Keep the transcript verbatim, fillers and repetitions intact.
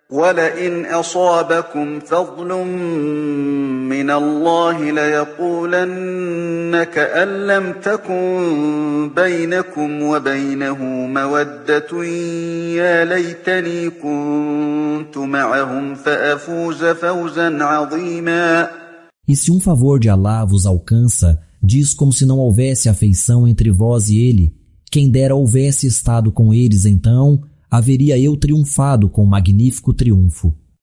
وَلَئِنْ أَصَابَكُمْ فَضْلٌ مِّنَ اللَّهِ لَيَقُولَنَّ كَأَن لَّمْ تَكُن بَيْنَكُمْ وَبَيْنَهُ مَوَدَّةٌ يَا لَيْتَنِي كُنتُ مَعَهُمْ فَأَفُوزَ فَوْزًا عَظِيمًا. E se um favor de Alá vos alcança, diz como se não houvesse afeição entre vós e ele. Quem dera houvesse estado com eles, então haveria eu triunfado com magnífico triunfo.